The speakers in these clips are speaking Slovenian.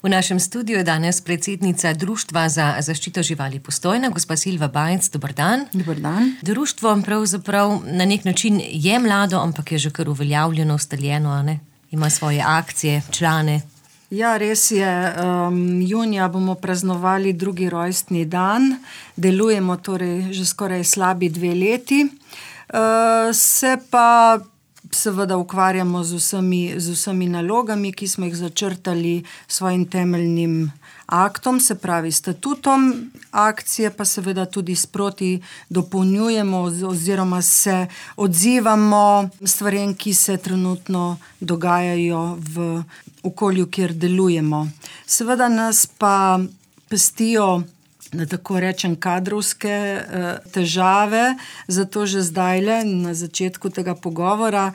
V našem studiu je danes predsednica Društva za zaščito živali Postojna, gospa Silva Bajec. Dober dan. Dober dan. Društvo pravzaprav na nek način je mlado, ampak je že kar uveljavljeno, ustaljeno, a ne? Ima svoje akcije, člane. Ja, res je. Junija bomo praznovali 2. rojstni dan. Delujemo torej že skoraj slabi 2 leti. Se pa seveda ukvarjamo z vsemi nalogami, ki smo jih začrtali svojim temeljnim aktom, se pravi statutom. Akcije pa seveda tudi sproti dopolnjujemo oziroma se odzivamo stvarem, ki se trenutno dogajajo v okolju, kjer delujemo. Seveda nas pa pestijo, da tako rečem, kadrovske težave, zato že zdajle, na začetku tega pogovora,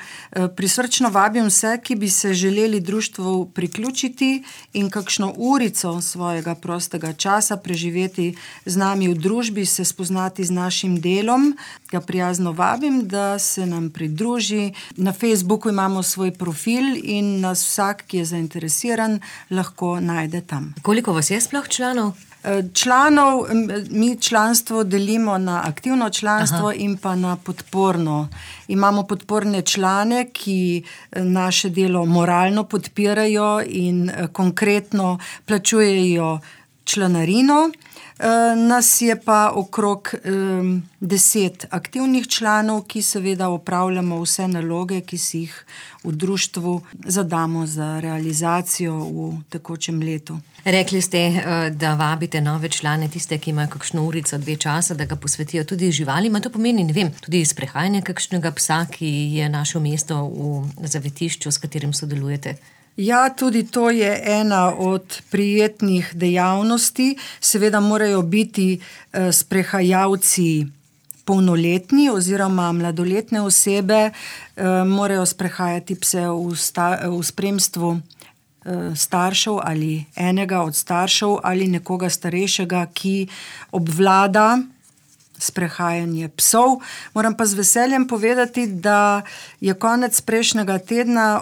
prisrčno vabim vse, ki bi se želeli društvu priključiti in kakšno urico svojega prostega časa preživeti z nami v družbi, se spoznati z našim delom. Ga prijazno vabim, da se nam pridruži. Na Facebooku imamo svoj profil in nas vsak, ki je zainteresiran, lahko najde tam. Koliko vas je sploh članov? Članov, mi članstvo delimo na aktivno članstvo in pa na podporno. Imamo podporne člane, ki naše delo moralno podpirajo in konkretno plačujejo članarino. Nas je pa okrog 10 aktivnih članov, ki seveda opravljamo vse naloge, ki si jih v društvu zadamo za realizacijo v tekočem letu. Rekli ste, da vabite nove člane, tiste, ki imajo kakšno urico, 2 časa, da ga posvetijo tudi živalima. To pomeni, ne vem, tudi sprehajanje kakšnega psa, ki je našel mesto v zavetišču, s katerim sodelujete. Ja, tudi to je ena od prijetnih dejavnosti. Seveda morajo biti sprehajalci polnoletni oziroma mladoletne osebe, morajo sprehajati pse v spremstvu staršev ali enega od staršev ali nekoga starejšega, ki obvlada sprehajanje psov. Moram pa z veseljem povedati, da so konec prejšnjega tedna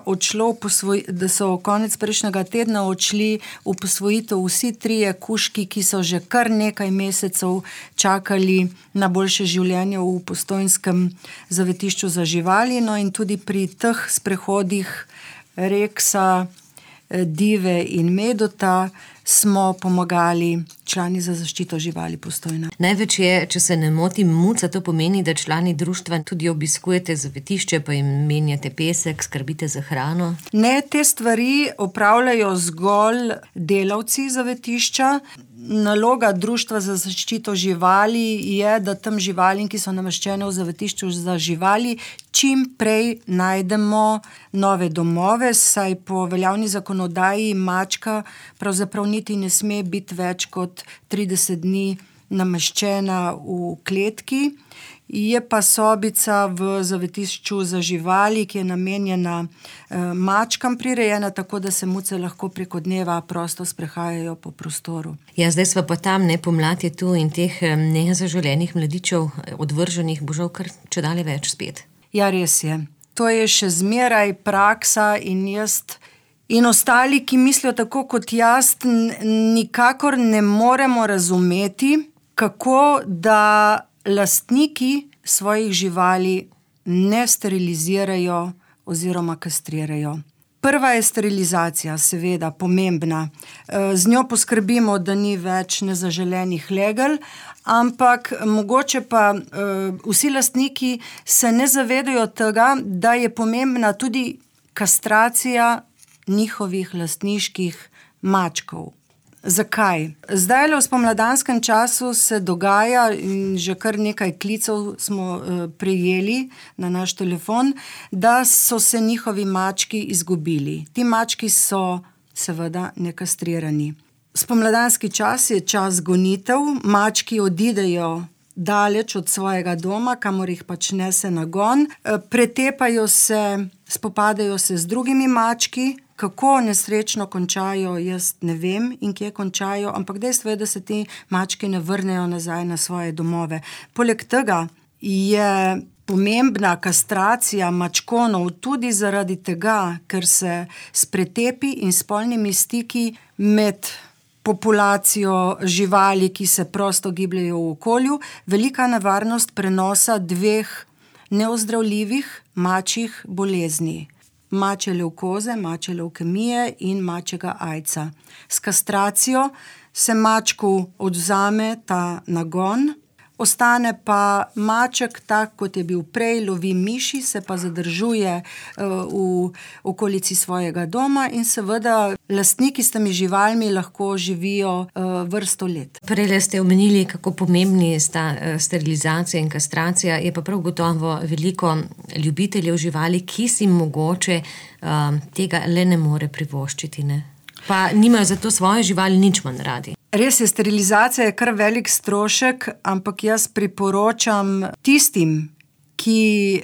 odšli v posvojitev vsi 3 kužki, ki so že kar nekaj mesecev čakali na boljše življenje v postojnskem zavetišču za živali. No, in tudi pri teh sprehodih Reksa, Dive in Medota smo pomagali člani za zaščito živali Postojna. Največ je, če se ne motim, muca. To pomeni, da člani društva tudi obiskujete zavetišče, pa jim menjate pesek, skrbite za hrano? Ne, te stvari opravljajo zgolj delavci zavetišča. Naloga Društva za zaščito živali je, da tam živalim, ki so nameščene v zavetišču za živali, čim prej najdemo nove domove, saj po veljavni zakonodaji mačka pravzaprav niti ne sme biti več kot 30 dni nameščena v kletki. Je pa sobica v zavetišču za živali, ki je namenjena mačkam prirejena, tako da se muce lahko preko dneva prosto sprehajajo po prostoru. Ja, zdaj sva pa tam, ne, pomlad je tu in teh nezaželenih mladičev, odvrženih, bo žal kar čedalje več spet. Ja, res je. To je še zmeraj praksa in jaz in ostali, ki mislijo tako kot jaz, nikakor ne moremo razumeti, kako da lastniki svojih živali ne sterilizirajo oziroma kastrirajo. Prva je sterilizacija, seveda, pomembna. Z njo poskrbimo, da ni več nezaželenih legel, ampak mogoče pa vsi lastniki se ne zavedajo tega, da je pomembna tudi kastracija njihovih lastniških mačkov. Zakaj? Zdaj v spomladanskem času se dogaja, in že kar nekaj klicev smo prejeli na naš telefon, da so se njihovi mački izgubili. Ti mački so seveda nekastrirani. Spomladanski čas je čas gonitev, mački odidejo daleč od svojega doma, kamor jih pač nese nagon, pretepajo se, spopadajo se z drugimi mački. Kako nesrečno končajo, jaz ne vem in kje končajo, ampak dejstvo je, da se ti mački ne vrnejo nazaj na svoje domove. Poleg tega je pomembna kastracija mačkonov tudi zaradi tega, ker se s pretepi in spolnimi stiki med populacijo živali, ki se prosto gibljejo v okolju, velika nevarnost prenosa 2 neozdravljivih mačjih bolezni. Mačje levkoze, mačje levkemije in mačjega aidsa. S kastracijo se mačku odvzame ta nagon, ostane pa maček tak, kot je bil prej, lovi miši, se pa zadržuje v okolici svojega doma in seveda lastniki s temi živalmi lahko živijo vrsto let. Prej ste omenili, kako pomembni sta sterilizacija in kastracija, je pa prav gotovo veliko ljubiteljev živali, ki si mogoče tega le ne more privoščiti, ne? Pa nimajo zato svoje živali nič manj radi. Res je, sterilizacija je kar velik strošek, ampak jaz priporočam tistim, ki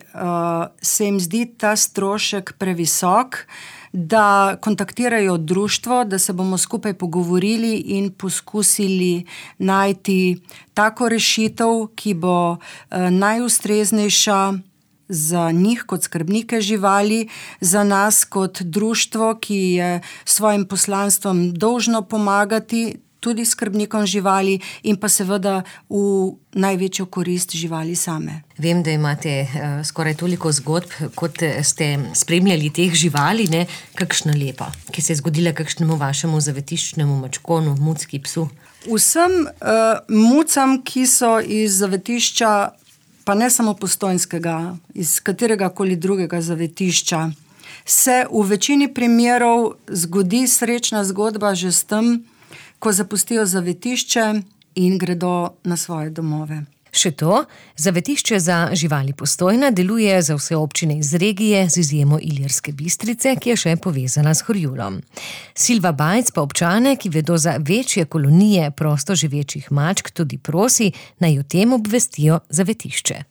se jim zdi ta strošek previsok, da kontaktirajo društvo, da se bomo skupaj pogovorili in poskusili najti tako rešitev, ki bo najustreznejša za njih kot skrbnike živali, za nas kot društvo, ki je svojim poslanstvom dolžno pomagati tudi skrbnikom živali in pa seveda v največjo korist živali same. Vem, da imate skoraj toliko zgodb, kot ste spremljali teh živali, ne? Kakšna lepa, ki se je zgodila kakšnemu vašemu zavetiščnemu mačkonu, mucki, psu? Vsem mucam, ki so iz zavetišča, pa ne samo Postojnskega, iz kateregakoli drugega zavetišča, se v večini primerov zgodi srečna zgodba že s tem, ko zapustijo zavetišče in gredo na svoje domove. Še to, zavetišče za živali Postojna deluje za vse občine iz regije z izjemo Ilirske Bistrice, ki je še povezana s Horjulom. Silva Bajc pa občane, ki vedo za večje kolonije prosto živečih mačk, tudi prosi, naj o tem obvestijo zavetišče.